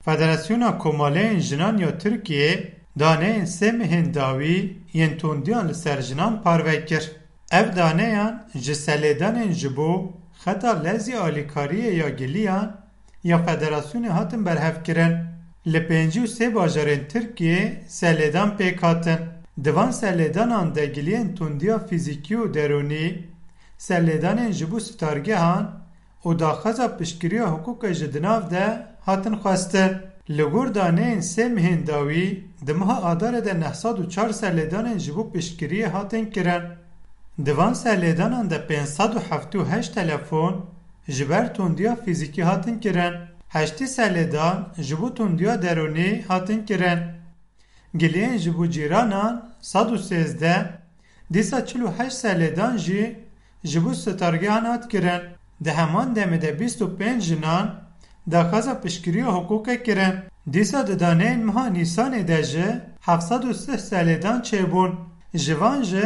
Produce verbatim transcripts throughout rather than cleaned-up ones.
Federasyona Komaleyên Jinan ya Tirkiyê daneyên sê mehên dawî yên tundiyan li ser jinan parve kir. Ev daneyan ji selêdanên ji bo xeta lezî alîkariyê ya giliyan ya federasyonê hatin berhevkirin. Li pêncî û sê bajarên Tirkiyê selêdan pêk hatin. Di van selêdanan de giliyên tundiya fîzîkî û derûnî, selêdanên ji bo sitargehan û daxwaza piştgiriya hiqûqê ji di nav de hatin xwestin. Li gor daneyên sê mehên dawî, di meha Adarê de neh sed û çar selêdanên ji bo piştgiriyê hatin kirin. Di van selêdanan de pênc sed û heftê û heşt telefon ji ber tundiya fîzîkî hatin kirin. Heştê selêdan ji bo tundiya derûnî hatin kirin. Giliyên ji bo cîranan sed û sêzdeh, dîsa çil û heşt selêdan jî ji bo sitargehan hat kirin. Di heman demê de bîst û pênc jinan daxwaza piştgiriya hiqûqê kirin. Dîsa di daneyên meha Nîsanê de jî heft sed û sih selêdan çêbûn. Ji van jî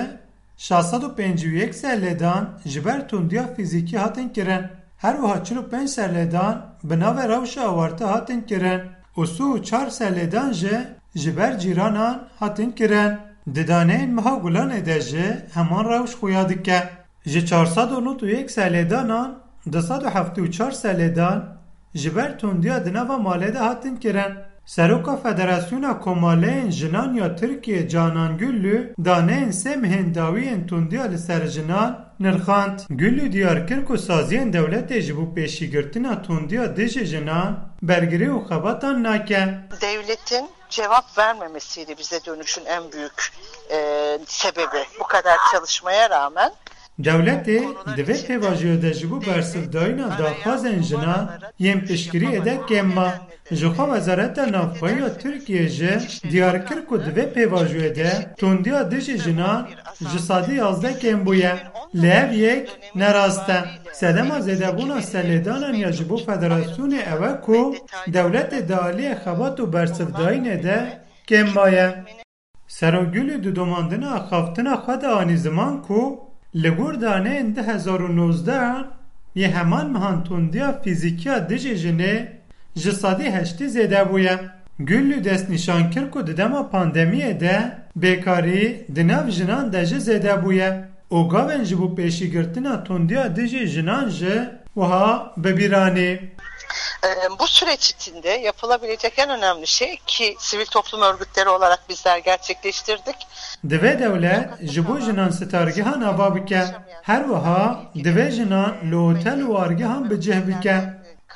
şeş sed û pêncî û yek selêdan ji ber tundiya fîzîkî hatin kirin. Her wiha çil û pênc selêdan bi navê rewşa awarte hatin kirin û sî û çar selêdan jî ji ber cîranan hatin kirin. Di daneyên meha Gulanê de jî heman rewş xuya dike. Ji çar sed û nod û yek selêdanan du sed û heftê û çar selêdan ji ber tundiya di nava malê de hatin kirin. Seroka Federasyona Komaleyên Jinan ya Tirkiyê Canan Güllü daneyên sê mehên dawî yên tundiya li ser jinan nirxand. Güllü diyar kir ku saziyên dewletê ji bo pêşîgirtina tundiya dijî jinan bergirî û xebatan nake. Devletin cevap vermemesiyle bize dönüşün en büyük, e, sebebi. Bu kadar çalışmaya rağmen Dewletê di vê pêvajoyê de ji bo bersivdayîna daxwazên jinan yên piştgiriyê de kêm ma. Jixwe Wezareta Navxweyî ya Tirkiyê jî diyar kir ku di vê pêvajoyê de tundiya dijî jinan ji sedî yazdeh kêm bûye. Lê ev yek ne rast e. Sedema zêdebûna selêdanan ya ji bo federasyonê ew e ku dewletê di aliyê xebat û bersivdayînê de kêm maye. Serok Gulî di domandina axaftina xwe de anî ziman ku li gor daneyên du hezar û nozdeh yê heman mehan tundiya fîzîkiya dijî jinê ji sedî heştî zêde bûye. Gulî destnîşan kir ku di dema pandemiyê de bêkarî di nav jinan de jî zêde bûye û gavên ji bo pêşîgirtina tundiya dijî jinan jî wiha bi bîr anî. E, bu süreç içinde yapılabilecek en önemli şey ki sivil toplum örgütleri olarak bizler gerçekleştirdik. Divê dewlet ji bo jinan sitargehan ava bike. Her wiha divê jinan li otel û wargehan bi cih bike.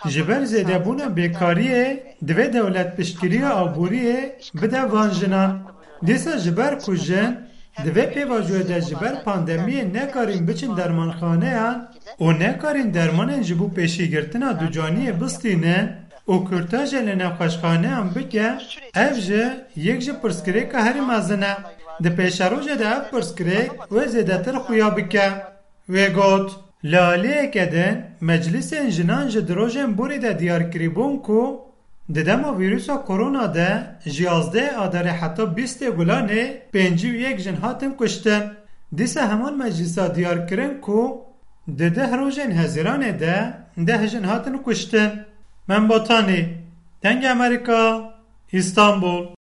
Ji ber zêdebûna bêkariyê divê dewlet piştgiriya aboriyê bide van jinan. Dîsa ji ber ku jin di vê pêvajoyê de ji ber pandemiyê nekarîn biçin dermanxaneyan û nekarîn dermanên ji bo pêşîgirtina ducaniyê bistînin û kûrtajê li nexweşxaneyan bike, ev jî yek ji pirsgirêka herî mezin e. Di pêşerojê de ev pirsgirêk wê zêdetir xuya bike. Wê got, li aliyeke din meclîsên jinan jî di rojên borî de diyar kirîbûn ku di dema vîrusa korona de ji yazdehê Adarê heta bîstê Gulanê pêncî û yek jin hatin kuştin. Dîsa heman meclîsa diyar kirin ku di deh rojên Hezîranê de deh jin hatin kuştin. Mem Botanî, Dengê Amerîka, Îstanbul.